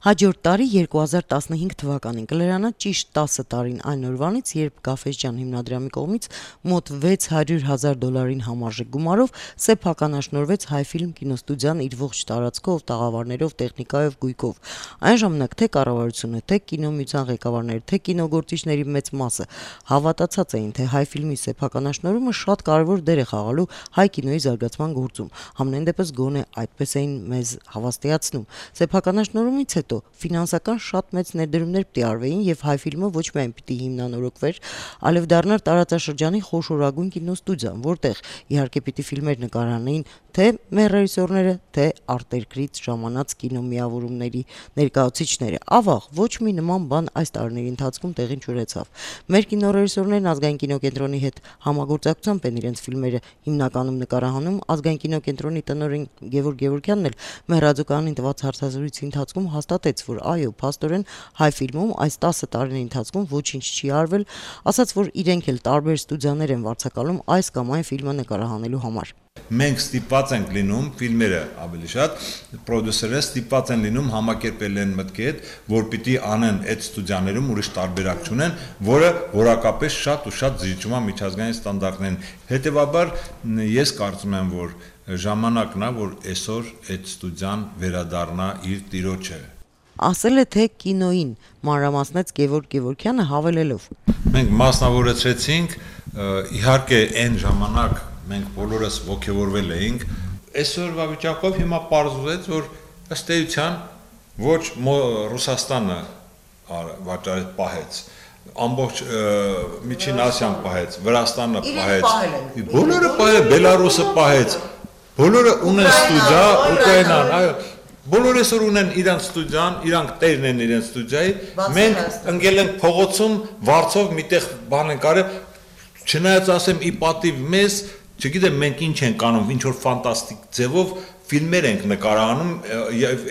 Հաջորդ տարի 2015 թվականին կլրանա ճիշտ 10 տարին այն օրվանից, երբ Գաֆէսճեան հիմնադրամի կողմից մոտ $600,000 համարժեք գումարով սեփականաշնորհվեց Հայֆիլմ կինոստուդիան իր ողջ տարածքով, տաղավարներով, տեխնիկայով, գույքով։ Այն ժամանակ թե կառավարությունը, թե կինոմիության ղեկավարները, թե կինոգործիչների մեծ մասը հավատացած էին, թե Հայֆիլմի սեփականաշնորհումը շատ կարևոր դեր է խաղալու հայ կինոյի զարգացման գործում։ Համենայն դեպս գոնե այդպես էին մեզ հավաստիացնում։ Սեփականաշնորհումից հետո ֆինանսական շատ մեծ ներդրումներ պիտի արվեին եւ Հայֆիլմը ոչ միայն պիտի հիմնանորոգվեր, այլև դառնար տարածաշրջանի խոշորագույն կինոստուդիան, որտեղ իհարկե պիտի ֆիլմեր նկարանեին թե մեր ռեժիսորները, թե արտերկրից ժամանած կինոմիավորումների ներկայացուցիչները։ Ավաղ ոչ մի նման բան այս տարիների ընթացքում տեղի չունեցավ։ Մեր կինոռեժիսորներն Ազգային կինոկենտրոնի հետ համագործակցությամբ են իրենց ֆիլմերը հիմնականում նկարահանում։ Ազգային կինոկենտրոնի տնօրեն Գևորգ Գևորգյանն էլ մեր ռադիոկայանին տված հարցազրույցի ընթացքում հաստատեց, որ այո, փաստորեն Հայֆիլմում այս 10 տարիների ընթացքում ոչինչ չի արվել, ասաց, որ իրենք էլ տարբեր ստուդիաներ են վարձակալում այս կամ այն ֆիլմը նկարահանելու համար։ Մենք ստիպված ենք լինում ֆիլմերը ավելի շատ պրոդյուսերները ստիպված են լինում համակերպել են մտքի հետ, որ պիտի անեն այդ ստուդիաներում ուրիշ տարբերակ չունեն, որը որակապես շատ ու շատ զիջում է միջազգային ստանդարտներին։ Հետևաբար ես կարծում եմ, որ ժամանակն է, որ այսօր այդ ստուդիան վերադառնա իր տիրոջը։ Ասել է, թե կինոին մանրամասնեց Գևորգ Գևորգյանը հավելելով. Մենք մասնավորեցրեցինք, իհարկե այն ժամանակ մենք բոլորս ողջավորվել էինք, այսօրվա վիճակով հիմա պարզվեց, որ ըստ էության ոչ Ռուսաստանը վաճառեց պահեց, ամբողջ Միջին Ասիան պահեց, Վրաստանը պահեց, բոլորը պահել, Բելարուսը պահեց, բոլորը ունեն ստուդիա, Ուկրաինան, այո, բոլորը այսօր ունեն իրենց ստուդիան, իրանք տերն են իրենց ստուդիայի, մենք ընկել ենք փողոցում, վարձով միտեղ բան ենք արել, չնայած ասեմ ի պատիվ մեզ, չգիտեմ մենք ինչ ենք անում, ինչ որ ֆանտաստիկ ձևով ֆիլմեր ենք նկարահանում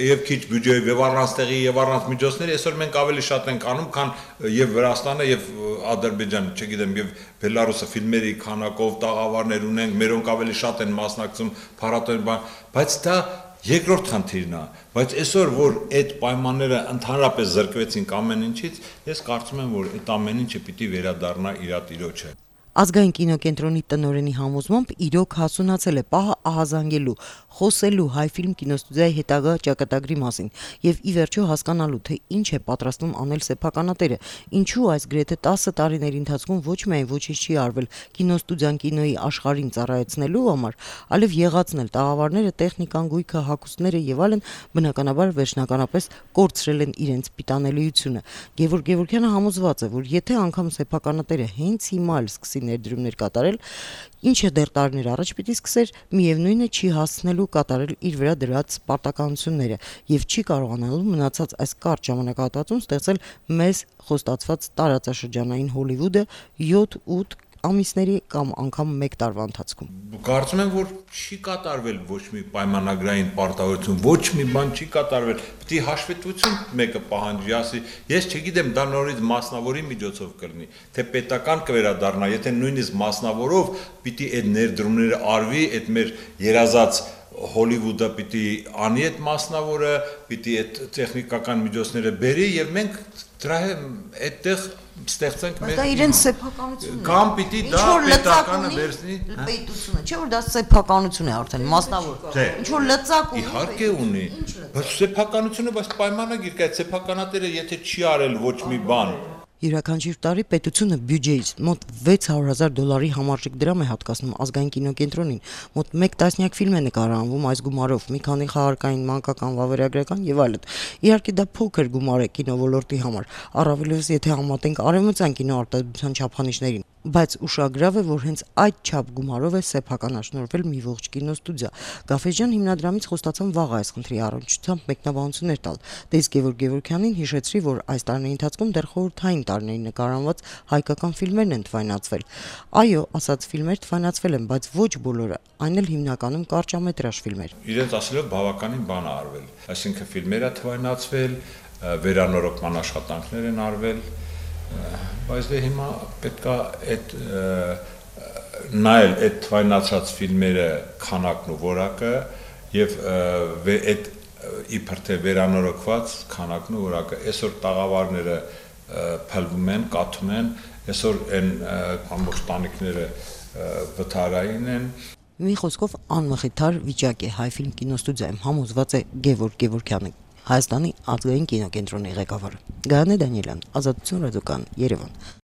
եւ քիչ բյուջեով եւ առանց տեղի եւ առանց միջոցների, այսօր մենք ավելի շատ ենք անում, քան եւ Վրաստանը եւ Ադրբեջանը, չգիտեմ, եւ Բելարուսը ֆիլմերի քանակով տաղավարներ ունենք, մերոնք ավելի շատ են մասնակցում փառատոնի, բայց դա երկրորդ խնդիրն է, բայց այսօր որ այդ պայմանները ընդհանրապես զրկվեցին ամեն ինչից, ես կարծում եմ, որ այդ ամեն ինչը պիտի վերադառնա իր տիրոջը։ Ազգային կինոկենտրոնի տնօրենի համոզմամբ իրոք հասունացել է պահը ահազանգելու, խոսելու Հայֆիլմ կինոստուդիայի հետագա ճակատագրի մասին եւ ի վերջո հասկանալու, թե ինչ է պատրաստվում անել սեփականատերը, ինչու այս գրեթե 10 տարիների ընթացքում ոչ միայն ոչինչ չի արվել կինոստուդիան կինոյի աշխարհին ծառայեցնելու համար, այլև եղածնել տաղավարները, տեխնիկան, գույքը, հագուստները եւ այլն բնականաբար վերջնականապես կորցրել են իրենց պիտանելիությունը։ Գևորգ Գևորգյանը համոզված է, որ եթե անգամ սեփականատերը հենց հիմա էլ սկսի ներդրումներ կատարել, ինչը դեռ տարիներ առաջ պիտի սկսեր, միևնույն է չի հասցնելու կատարել իր վրա դրած պարտականությունները եւ չի կարողանալու մնացած այս կարճ ժամանակահատվածում ստեղծել մեզ խոստացված տարածաշրջանային Հոլիվուդը 7-8 ամիսների կամ անգամ 1 տարվա ընթացքում։ Կարծում եմ, որ չի կատարվել ոչ մի պայմանագրային պարտավորություն, ոչ մի բան չի կատարվել։ Պիտի հաշվետվություն մեկը պահանջի, ասի, ես չգիտեմ, դա նորից մասնավորի միջոցով կլինի, թե պետական կվերադառնա, եթե նույնիսկ մասնավորով պիտի այդ ներդրումները արվի, այդ մեր երազած Հոլիվուդը պիտի անի այդ մասնավորը, պիտի այդ տեխնիկական միջոցները բերի եւ մենք դրա այդտեղ ստեղծենք մեր իրենց սեփականությունն կամ պիտի դա պետականը վերցնի պետությունը, չէ՞ որ դա սեփականություն է արդեն մասնավոր։ Ինչ որ լծակ ունի։ Իհարկե ունի, բայց սեփականությունը բայց պայմանագիր կա, այդ սեփականատերը եթե չի արել ոչ մի բան Յուրաքանչյուր տարի պետությունը բյուջեից մոտ $600,000 համարժեք դրամ է հատկացնում Ազգային կինոկենտրոնին, մոտ 1 տասնյակ ֆիլմ է նկարահանվում այս գումարով, մի քանի խաղարկային, մանկական, վավերագրական եւ այլն։ Իհարկե դա փոքր գումար է կինոլորտի համար, առավելևս եթե համատենք արևմտյան կինոարտադրության չափանիշներին, բայց ուշագրավ է, որ հենց այդ չափ գումարով է սեփականաշնորհվել մի ողջ կինոստուդիա։ Գաֆէսճեան հիմնադրամից խոստացան վաղ այս խնդրի առնչությամբ մեկնաբանություններ տալ։ Դե իսկ Գևորգ Գևորգյանին հիշեցրի, որ այս տարիների ընթացքում դեռ խորհրդային տարիներին նկարահանված հայկական ֆիլմերն են թվայնացվել։ Այո, ասած ֆիլմեր թվայնացվել են, բայց ոչ բոլորը, այն էլ հիմնականում կարճամետրաժ ֆիլմեր։ Իրենց ասելով բավականին բան է արվել, այսինքն ֆիլմերը թվայնացվել, վերանորոգման աշխատանքներ են արվել, բայց դե հիմա պետքա այդ նայել այդ թվայնացած ֆիլմերը քանակն ու որակը եւ այդ իբր թե վերանորոգված քանակն ու որակը այսօր տաղավարները փլվում են, կաթում են, այսօր այն ամբողջ տանիքները վթարային են։ Մի խոսքով անմխիթար վիճակ է Հայֆիլմ կինոստուդիայում, համոզված է Գևորգ Գևորգյանը, Հայաստանի ազգային կինոկենտրոնի ղեկավարը։ Գայանե Դանիելյան, Ազատություն ռադիոկայան, Երևան։